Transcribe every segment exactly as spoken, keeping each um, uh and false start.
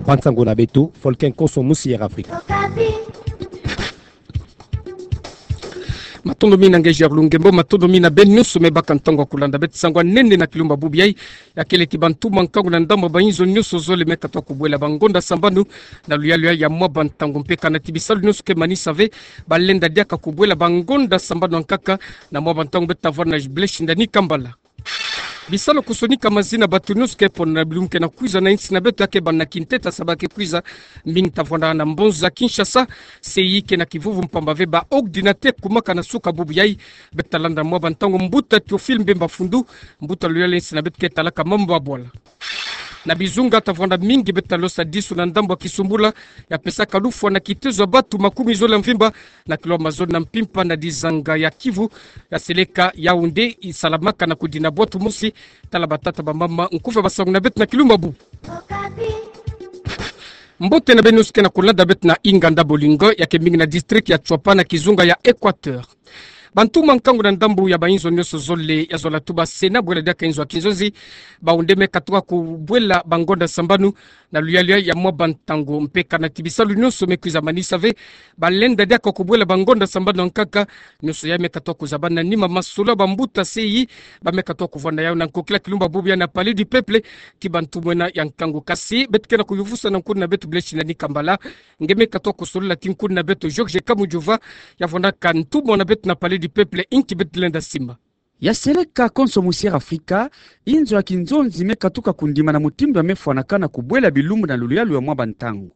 Mpangi nsangu na beto, Folken Konso Musi, Air Afrique. Matondo mingi na nge Gerlu Ngembo, matondo mingi na beno nyonso me baka ntangu ya kulanda beto sango ya nene na kilumbu bubu yayi, ya kele ti bantumwa nkangu na ndambu ya bainzo nyonso zole me katuka kubwela bangonda sambanu na luyalu ya mwa bantangu mpe kana ti bisalu nyonso ke manisa ve balenda diaka kubwela bangonda sambanu ya nkaka na mwa bantangu. Beto tavwanda na Blaise Shindani Kambala. Bisalu kusonika mazina bato nyonso ke pona na bilumbu ke na kwiza na insi na beto ya ke banda na kintete ya sabala ke kwiza, mingi tavwanda na mbonza Kinshasa, se yi ke na kivuvu mpamba ve ba ordinateur kumaka na suka bubu yayi. Beto talanda mwa bantangu mbuta Théophile Mbemba Fundu, mbuta luyalu ya insi na beto ke talaka mambu ya bwala. Na bizunga tavwanda mingi beto talosa disu na ndambu ya kisumbula ya pesaka lufwa na kitezo ya bato makumi zole ya mvimba na kilomètre zole na mpimpa na dizanga ya Kivu, ya seleka Yaoundé, isalamaka na kudina bwatu mosi. Tala batata bamama, nkufi ya basangu na beto na kilumbu bubu. Mbote na beno nyonso ke na kulanda beto na Inganda Bolingo, ya ke mingi na district ya Tshuapa na kizunga ya Équateur. Bantumwa nkangu na ndambu ya bainzo nyonso zole ya zola tuba se na bwela diaka inzo ya kinzonzi, bawu nde me katuka kubwela bangonda sambanu na luyalu ya mwa bantangu mpe kana ti bisalu nyonso me kwiza manisa ve balenda diaka kubwela bangonda sambanu ya nkaka. Nyonso yayi me katuka kuzabana na nima masolo ya bambuta se yi ba me katuka kuvwanda yawu na nkokila kilumbu bubu yayi na Palais du Peuple ti bantumwa ena ya nkangu. Kasi beto ke na kuyuvusa na nkuna na beto Blaise Shindani Kambala, nge me katuka kusolola ti nkuna na beto Georges Kamujova, ya vwandaka ntumwa na beto na Palais du Peuple, inki beto lenda simba. Ya seleka Konso Musi, Air Afrique, inzo ya kinzonzi me katuka kundima na mutindu ya me fwanakana kubwela bilumbu na luyalu ya mwa bantangu.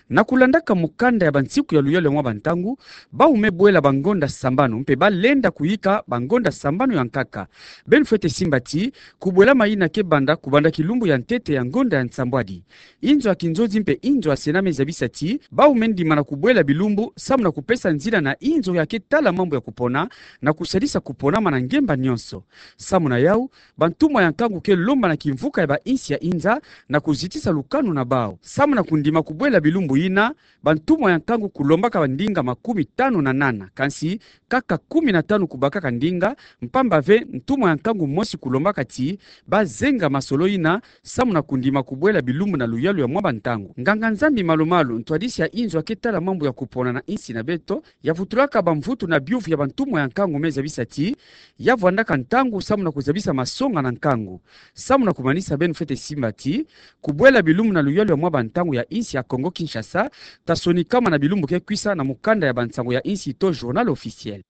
Na kulandaka mukanda ya bansiku ya luyalu ya mwa bantangu, bawu me bwela bangonda sambanu mpe balenda kuyika bangonda sambanu ya nkaka. Beno fwete simba ti kubwelama yina ke banda kubanda kilumbu ya ntete ya ngonda ya nsambwadi. Inzo ya kinzonzi mpe inzo ya Sénat me zabisa ti bawu me ndimana kubwela bilumbu samu na kupesa nzila na inzo ya ke tala mambu ya kupona na kusadisa kuponama na ngemba nyonso. Samu na yawu, bantumwa ya nkangu ke lomba na kimvuka ya bainsi ya inza na kuzitisa lukanu na bawu. Samu na kundima kubwela bilumbu yina, bantumwa ya nkangu kulombaka bandinga makumi tanu na nana, kansi kaka kumi na tanu kubakaka ndinga, mpamba ve ntumwa ya nkangu mosi kulombaka ti bazenga masolo yina samu na kundima kubwela bilumbu na luyalu ya mwa bantangu. Nganga-Nzambi malu-malu, ntwadisi ya inzo ya ke tala mambu ya kupona na insi na beto, ya vutulaka bamvutu na biyuvu ya bantumwa ya nkangu me zabisa ti ya vwandaka ntangu samu na kuzabisa masonga na nkangu. Samu na kumanisa, beno fwete simba ti kubwela bilumbu na luyalu ya mwa bantangu ya insi ya Congo Kinshasa ta sonikama na bilumbu ke kwisa na mukanda ya bansangu ya insi to Journal Officiel.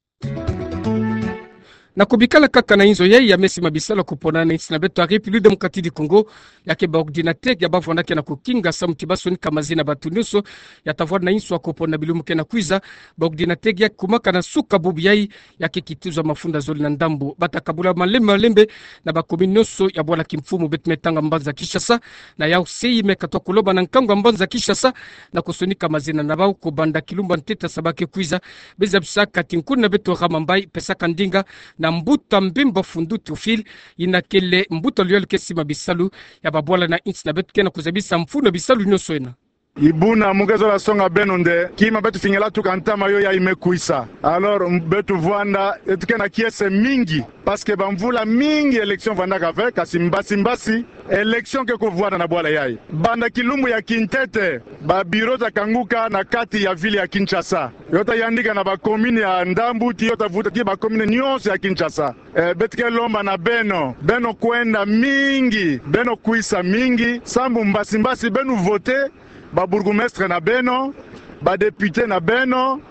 Na kubikala kaka na inzo yayi ya me sima bisalu ya kupona na insi na beto ya République Démocratique du Congo, ya ke ba ordinateur ya ba vwandaka na kukinga samu ti ba sonika mazina bato nyonso ya ta vwanda na inzo ya kupona na bilumbu ke na kwiza. Ba ordinateur ya kumaka na suka bubu yayi, ya ke kituza mafunda zole na ndambu. Ba ta kabula malembe malembe na ba commune nyonso ya bwala kimfumu, beto me tanga mbanza Kinshasa. Na yawu se yi me katuka kuloba na nkangu ya mbanza Kinshasa na kusonika mazina na bawu kubanda kilumbu ya ntete ya sabala ke kwiza. Be zabisaka ti nkuna na beto Ramambai pesaka ndinga na mbuta Mbemba Fundu Théophile, yina kele mbuta luyalu ke sima bisalu ya babwala na insi na beto ke na kuzabisa mfunu ya bisalu nyonso ena. Ibuna, mu ke zola songa beno nde kima beto fingela tuka ntama yo yayi me kwisa. Alors, m-, beto vwanda, beto ke na kiese mingi, parce que bamvula mingi élection vwandaka ve, kasi mbasi mbasi élection ke kuvwanda na bwala yayi. Banda kilumbu ya kintete, ba bureau ta kanguka na kati ya ville ya Kinshasa. Yo ta yandika na ba commune ya ndambu ti yo ta vuta ti ba commune nyonso ya Kinshasa. Eh, beto ke lomba na beno, beno kwenda mingi, beno kwisa mingi, samu mbasi mbasi beno voter ba bourgmestre na beno, ba député na beno,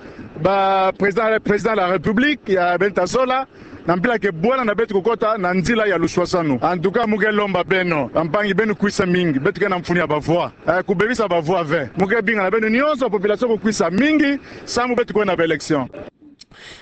ba président, président de la République ya beno ta zola, na mpila ke bwala na beto kukota na nzila ya luswaswanu. En tout cas, mu ke lomba beno, bampangi, beno kwisa mingi, beto ke na mfunu ya ba voix. Eh, kubebisa ba voix ve. Mu ke binga na beno nyonso, population kukwisa mingi, samu beto kwenda na ba élection.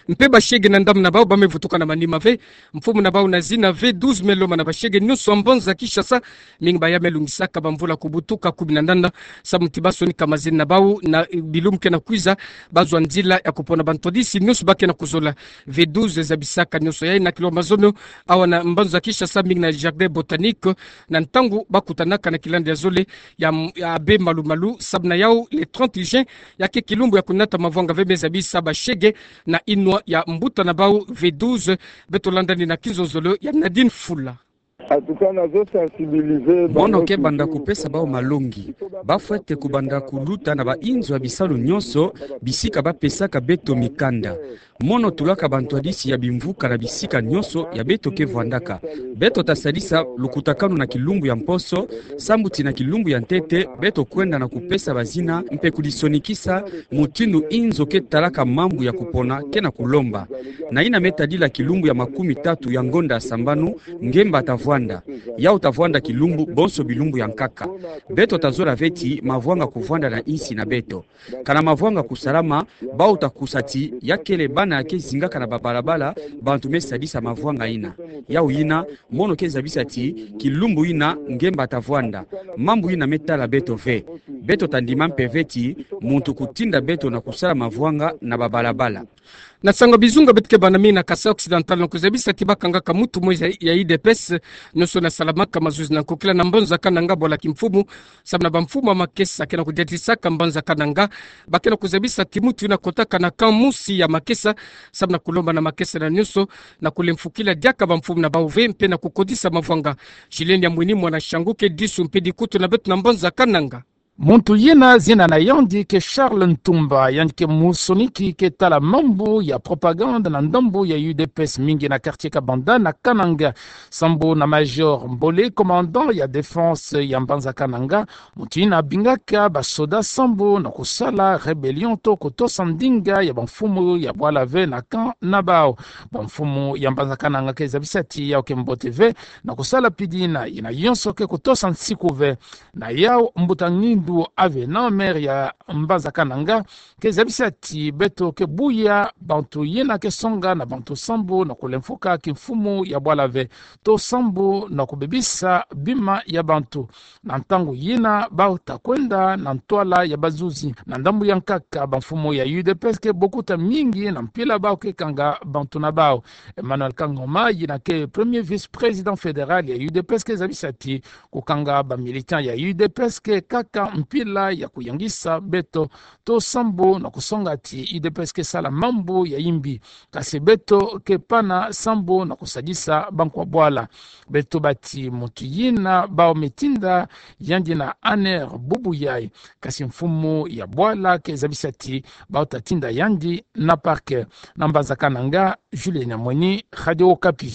Mpe bashege na ndambu na bawu ba me vutuka na manima ve. Mfumu na bawu na zina V douze me lomba na bashege nyonso ya mbanza Kinshasa, mingi ba ya me lungisaka bamvula kubutuka kumi na nana, samu ti ba sonika mazina na bawu na, eh, bilumbu ke na kwiza, ba zwa nzila ya kupona bantwadisi nyonso ba ke na kuzola. V douze zabisaka nyonso yayi na kilomètre mazono, awa na mbanza Kinshasa, mingi na jardin botanique, na ntangu ba kutanaka na kilanda ya zole ya m-, ya Abbé Malu-Malu, samu na yawu le trente juin, ya ke kilumbu ya kunata mavwanga ve. Me zabisa bashege na inwa ya mbuta na bawu V douze, beto landani na kinzonzolo ya Nadine Fula. Mono ke banda kupesa bawu malongi. Bafwete kubanda kuluta na bainzo ya bisalu nyonso, bisika bapesaka beto mikanda. Mono tulaka bantwadisi ya bimvuka na bisika nyonso ya beto ke vwandaka. Beto tasadisa lukutakanu na kilumbu ya mposo, sambu ti na kilumbu ya ntete beto kwenda na kupesa bazina mpe kudisonikisa mutindu inzo ke talaka mambu ya kupona ke na kulomba. Na yina me tadila kilumbu ya makumi tatu ya ngonda ya sambanu, ngemba tavwanda. Yawu tavwanda kilumbu bonso bilumbu ya nkaka. Beto tazola ve ti mavwanga kuvwanda na insi na beto. Kana mavwanga kusalama, bawu takusa ti ya kele bana ya ke zingaka na babalabala, bantu me sadisa mavwanga yina. Yawu yina, mono ke zabisa ti kilumbu yina ngemba tavwanda. Mambu yina me tala beto ve. Beto tandima mpe ve ti muntu kutinda beto na kusala mavwanga na babalabala. Na nsangu ya bizunga beto ke bâ na mingi na Kasaï Occidental, na kuzabisa ti bakangaka muntu mosi ya, ya U D P S, nyonso yina salamaka mazuzi na nkokila na mbanza Kananga, bwala kimfumu, samu na bamfumu ya makesa ke na kudiatisaka mbanza Kananga, ba ke na kuzabisa ti muntu yina kotaka na camp mosi ya makesa, samu na kulomba na makesa na nyonso, na kulemfukila diaka bamfumu na bawu ve mpe na kukodisa mavwanga. Julien Nyamwini, mwana Shangu, ke disu mpe dikutu na beto na mbanza Kananga. Muntu yina zina na yandi ke Charles Ntumba, yandi ke musoniki ke tala mambu ya propagande na ndambu ya U D P S, mingi na quartier Kabanda na Kananga. Sambu na Major Mbole, commandant ya défense ya mbanza Kananga, muntu yina abingaka basoda sambu na kusala rébellion to kutosa ndinga ya bamfumu ya bwala ve na camp na bawu. Bamfumu ya mbanza Kananga ke zabisa ti yawu ke mbote ve, na kusala pidi yina, yina yonso ke kutosa nsiku ve. Na yawu, mbuta Ngindu Avenant, maire ya mbanza Kananga, ke zabisa ti beto ke buya bantu yina ke songa na bantu sambu na kulemfuka kimfumu ya bwala ve, to sambu na kubebisa bima ya bantu. Na ntangu yina, bawu takwenda na ntwala ya bazuzi. Na ndambu ya nkaka, bamfumu ya U D P S ke bokuta mingi na mpila bawu ke kanga bantu na bawu. Emmanuel Kangoma, yina ke premier vice-président fédéral ya U D P S, ke zabisa ti kukanga ba militants ya U D P S ke kaka mpila ya kuyangisa beto, to sambu na kusonga ti U D P S ke sala mambu ya yimbi. Kasi beto ke pana sambu na kusadisa bankwa bwala. Beto tuba ti muntu yina bawu me tinda yandi na Anner Bubuyai. Kasi mfumu ya bwala ke zabisa ti bawu tatinda yandi na parquet. Na mbanza Kananga, Julien Nyamwini, Radio Okapi.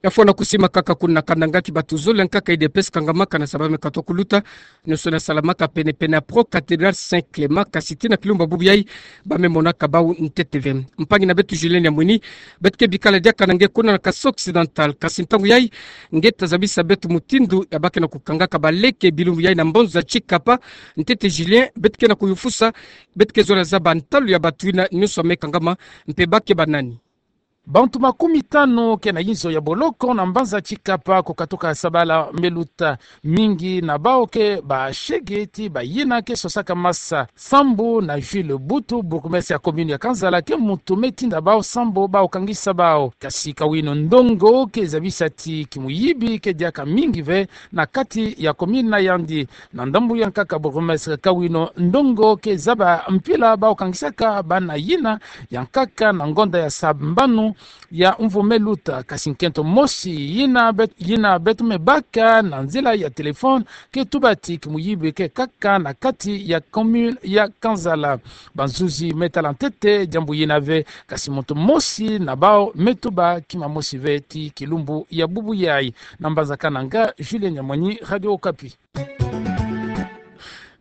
Ya fwana kusimakaka kuna Kananga, ki bato zole ya nkaka U D P S kangamaka na saba me katwa kuluta, nyonso yina salamaka penepene ya Pro-Cathédrale Saint Clément, kasi tii na kilumbu ya Bubuyai, ba me monaka bawu ntete ve. Mpangi na beto Julien Nyamwini, beto ke bikala diaka na nge kuna na Kasaï Occidental, kasi ntangu yayi, nge ta zabisa beto mutindu ya ba ke na kukangaka baleke bilumbu yayi na mbanza Tshikapa. Ntete Julien, beto ke na kuyufusa, beto ke zola zaba ntalu ya bato yina nyonso me kangama, mpe ba ke banani? Bantu makumitanu ke na inzo ya boloko na mbanza Tshikapa ku katuka sabala me luta. Mingi na bawu ke bashege ti bayina ke sosaka masa. Sambu na Jules Butu, bourgmestre ya commune ya Kansala, ke muntu me tinda bawu sambu bawu kangisa bawu. Kasi Kawino Ndongo ke zabisa ti kimuyibi ke diaka mingi ve na kati ya commune na yandi. Na ndambu ya nkaka, bourgmestre Kawino Ndongo ke zaba mpila bawu kangisaka bana yina ya nkaka na ngonda ya sambanu ya mvu me luta. Kasi nkento mosi yina bet-, yina beto me baka na nzila ya téléphone ke tuba ti kimuyibi ke kaka na kati ya commune ya Kansala. Bazuzi me tala ntete diambu yina ve, kasi muntu mosi na bawu me tuba kima mosi ve ti kilumbu ya Bubuyai. Na mbanza Kananga, Julien Nyamwini, Radio Okapi.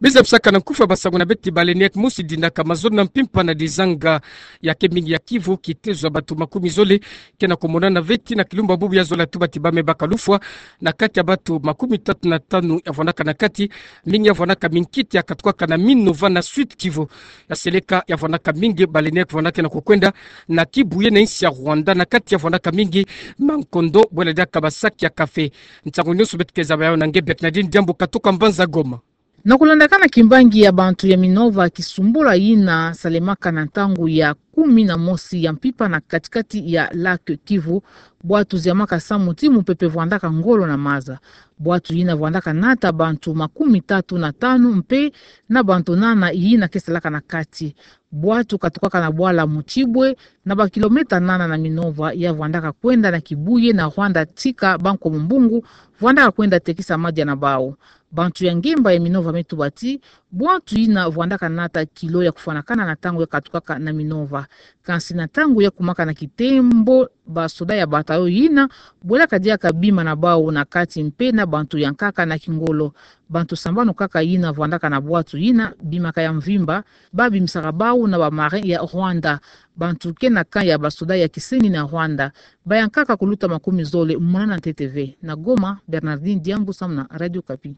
Biza bisaka na nkufi ya basangu na beto ti baleinière mosi dinaka mazono na mpimpa na dizanga ya ke mingi ya Kivu, kitezo ya bato makumi zole ke na kumonana ve tii na kilumbu ya Bubuyai, zola tuba ti ba me baka lufwa na kati ya bato makumitatu na tanu ya vwandaka na kati, mingi ya vwandaka minkiti ya katukaka na Minova na Sud-Kivu. Ya seleka ya vwandaka mingi, baleinière vwandaka na kukwenda na Kibuye na insi ya Rwanda, na kati ya vwandaka mingi mankondo, bwela diaka basaki ya café. Nsangu nyonso beto ke zaba yawu na nge Bernardine Diambu katuka mbanza Goma. Na kulandakana kimbangi ya bantu ya Minova, kisumbula yina salemaka na ntangu ya kumi na mosi ya mpimpa na kati-kati ya lac Kivu, bwatu ziamaka samu ti mupepe vwandaka ngolo na maza. Bwatu yina vwandaka nata bantu makumitatu na tanu mpe na bantu nana yina ke salaka na kati. Bwatu katukaka na bwala Mutshibwe, na ba kilomètre nana na Minova, ya vwandaka kwenda na Kibuye na Rwanda tika ba Nkomo Mbungu, vwandaka kwenda tekisa madia na bau. Bantu ya ngemba ya minova me tuba ti, bwantu yina vwandaka nata kilo ya kufwanakana na ntangu ya katukaka na minova. Kansi na ntangu ya kumaka na kitembo, basoda ya bataillon yina bwelaka diaka bima na bau na kati mpe na bantu ya nkaka na kingolo. Bantu sambanu kaka yina vwandaka na bwatu yina bimaka ya mvimba, ba bimisaka bau na ba marins ya Rwanda. Bantu ke na camp ya basoda ya kisengi na Rwanda, ba ya nkaka kuluta makumi zole mona na ntete ve. Na Goma, Bernardine Diambu samu na Radio Okapi.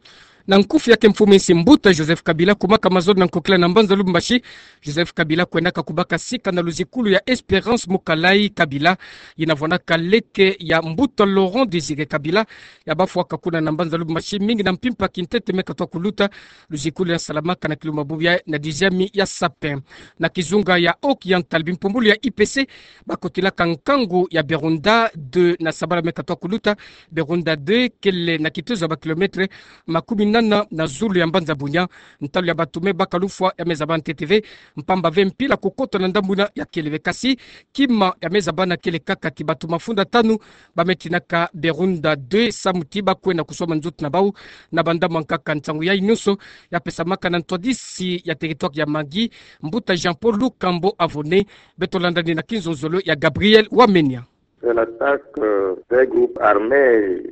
Na nkufi ya ke mfumu nsi mbuta Joseph Kabila kumaka mazono na nkokila na mbanza Lubumbashi, Joseph Kabila kwendaka kubaka sika na luzikulu ya Espérance Mukalayi Kabila, yina vwandaka leke ya mbuta Laurent Désiré Kabila, ya bafwaka kuna na mbanza Lubumbashi mingi na mpimpa kintete me katoa kuluta. Luzikulu ya salamaka na kilumbu mabubu ya na dixième ya sapin. Na kizunga ya Haut-Oriental, bimpumbulu ya I P C bakotilaka nkangu ya Berunda deux na sabala me katoa kuluta. Berunda deux kele na kitezo ya ba kilomètre makumi nana na zulu ya mbanza Bunia. Ntalu ya bantu me baka lufwa ya me zaba ntete ve, mpamba ve mpila kukota na ndambu yina ya kele ve. Kasi kima ya me zabana kele kaka ti bantu mafunda tanu ba me tinaka Berunda deux samu ti ba kwenda kuswama nzoto na bau na bandambu ya nkaka. Nsangu yayi nyonso ya pesamaka na ntwadisi ya territoire ya Magui, mbuta Jean-Paul Lukambo Avone. Beto landa ni na kinzonzolo ya Gabriel Wamenya. C'est l'attaque, euh, d'un groupe armé.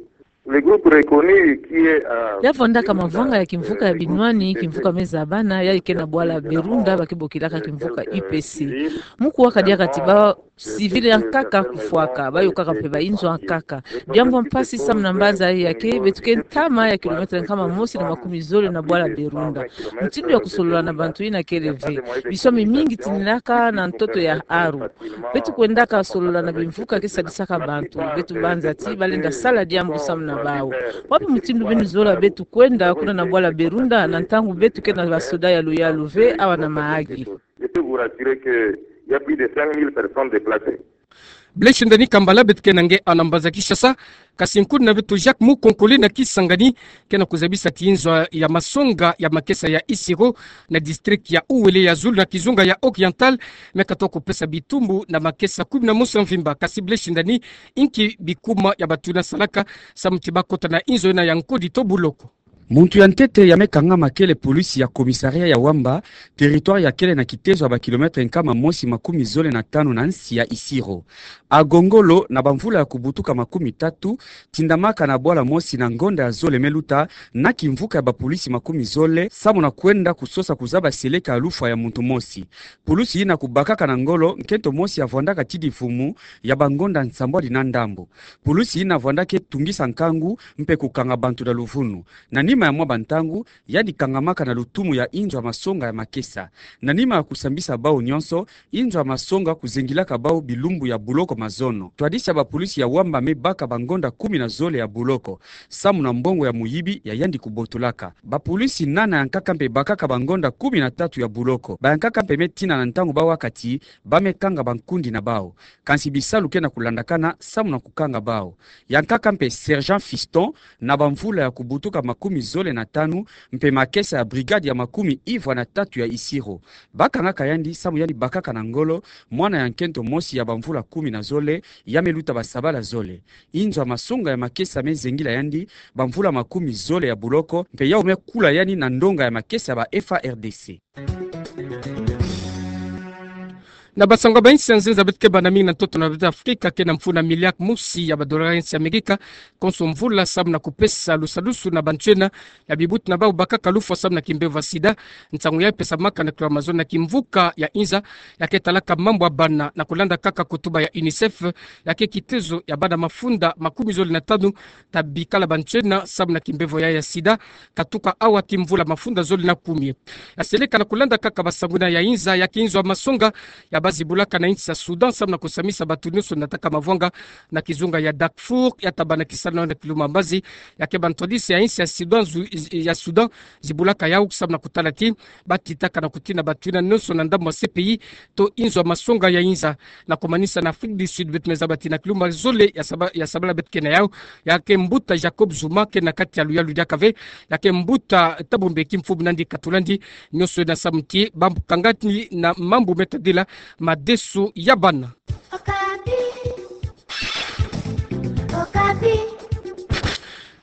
Le groupe reconnu qui est, euh, ya vwandaka mavanga ya kimvuka ya binwani, kimvuka me zabana, yayi ke na bwala Berunda, ba ke bokilaka kimvuka U P C. Mu kuwaka diaka ti ba civil ya nkaka kufwaka, ba yokaka mpe ba inzo ya nkaka. Diambu ya mpasi samu na mbanza yayi ya ke, beto ke ntama ya kilomètre nkama mosi na makumi zole na bwala Berunda. Mutindu ya kusolola na bantu yina kele ve. Biswami mingi tininaka na ntoto ya aru. Beto kwendaka solola na bimvuka ke sadisaka bantu. Beto banza ti ba lenda sala diambu samu na bau. Wapi mutindu beno zola beto kwenda kuna na bwala Berunda na ntangu beto ke na basoda ya luyalu ve awa na Mahagi? Je peux vous rassurer que il y a plus de cinq mille personnes déplacées. Blaise Ndani Kambala, beto ke na nge awa na mbanza Kinshasa. Kasi nkundi na beto Jacques Mukonkole na Kisangani ke na kuzabisa ti inzo ya masonga ya makesa ya Isiro na district ya Uele ya zulu na kizunga ya Oriental me katoa kupesa bitumbu na makesa kumi na mosi ya mvimba. Kasi Blaise Ndani, inki bikuma ya bantu yina salaka samu ti ba kota na inzo yina ya nkodi to buloko? Muntu ya ntete ya me kangama kele polisi ya commissariat ya Wamba, territoire ya kele na kitezo ya ba kilomètre nkama mosi makumi zole na tanu na nsi ya Isiro. Agongolo na bamvula ya kubutuka makumi tatu, tindamaka na bwala mosi na ngonda ya zole me luta na kimvuka ya bapolisi makumi zole samu na kwenda kusosa kuzaba seleka ya lufwa ya muntu mosi. Pulusi yina kubakaka na ngolo nkento mosi ya vwandaka tidi mfumu ya bangonda nsambwadi na ndambo. Pulusi yina vwandaka tungisa nkangu mpe kukanga bantu na luvunu. Na nima ya mwa bantangu, yandi kangamaka na lutumu ya inzo ya masonga ya makesa. Na nima ya kusambisa bau nyonso, inzo ya masonga kuzengilaka bau bilumbu ya buloko mazono. Ntwadisi ya bapolisi ya Wamba me baka bangonda kumi na zole ya buloko samu na mbongo ya muyibi ya yandi kubotolaka. Bapolisi nana ya nkaka mpe bakaka bangonda kumi na tatu ya buloko. Ba ya nkaka mpe me tina na ntangu ba waka ti ba me kanga bankundi na bau. Kansi bisalu ke na kulandakana samu na kukanga bau. Ya nkaka mpe Sergent Fiston, na bamvula ya kubutuka makumi zole na tanu, mpe makesa ya brigade ya makumi ivwa na tatu ya Isiro. Ba kangaka yandi samu yandi bakaka na ngolo mwana ya nkento mosi ya bamvula kumi na zole, ya me luta basabala zole. Inzo ya masonga ya makesa me zengila yandi bamvula makumi zole ya buloko, mpe yau me kula yandi na ndonga ya makesa ya ba F A R D C. Na basango ya ba insi ya nzenza, beto ke bana mingi na ntoto na beto Afrika ke na mfunu ya miliaki mosi ya ba dollars ya insi ya Amerika konso mvula samu na kupesa lusadusu na bantu yina ya bibuti na bau bakaka lufwa samu na kimbevo ya sida. Nsangu yayi pesamaka na kilwa mazono na kimvuka ya inza ya ke talaka mambu ya bana. Na kulanda kaka kutuba ya UNICEF, ya ke kitezo ya bana mafunda makumi zole na tanu ta bikala bantu yina samu na kimbevo ya, ya sida, katuka awa ti mvula mafunda zole na kumi. Ya seleka na kulanda kaka basango yina ya inza, ya ke inzo ya masonga ya ba zibulaka na insi ya Soudan samu na kusamisa bantu nyonso nataka mavwanga na kizunga ya Darfour, ya tabana kisalu na kiluma mbazi, ya ke ba ntwadisi ya insi ya Soudan zu-, ya Soudan zibulaka yau samu na kutala ti ba titaka na kutina bantu yina nyonso na ndambu ya C P I to inzo ya masonga ya inza. Na kumanisa na Afrique du Sud, beto me zaba ti na kilumbu zole ya saba-, ya sabala beto ke na yau, ya ke mbuta Jacob Zuma ke na kati ya luyalu diaka ve, ya ke mbuta Thabo Mbeki, mfumu nandi katula ndi, nyonso na samu ti ba kangandi na mambu me tadila madesu ya bana.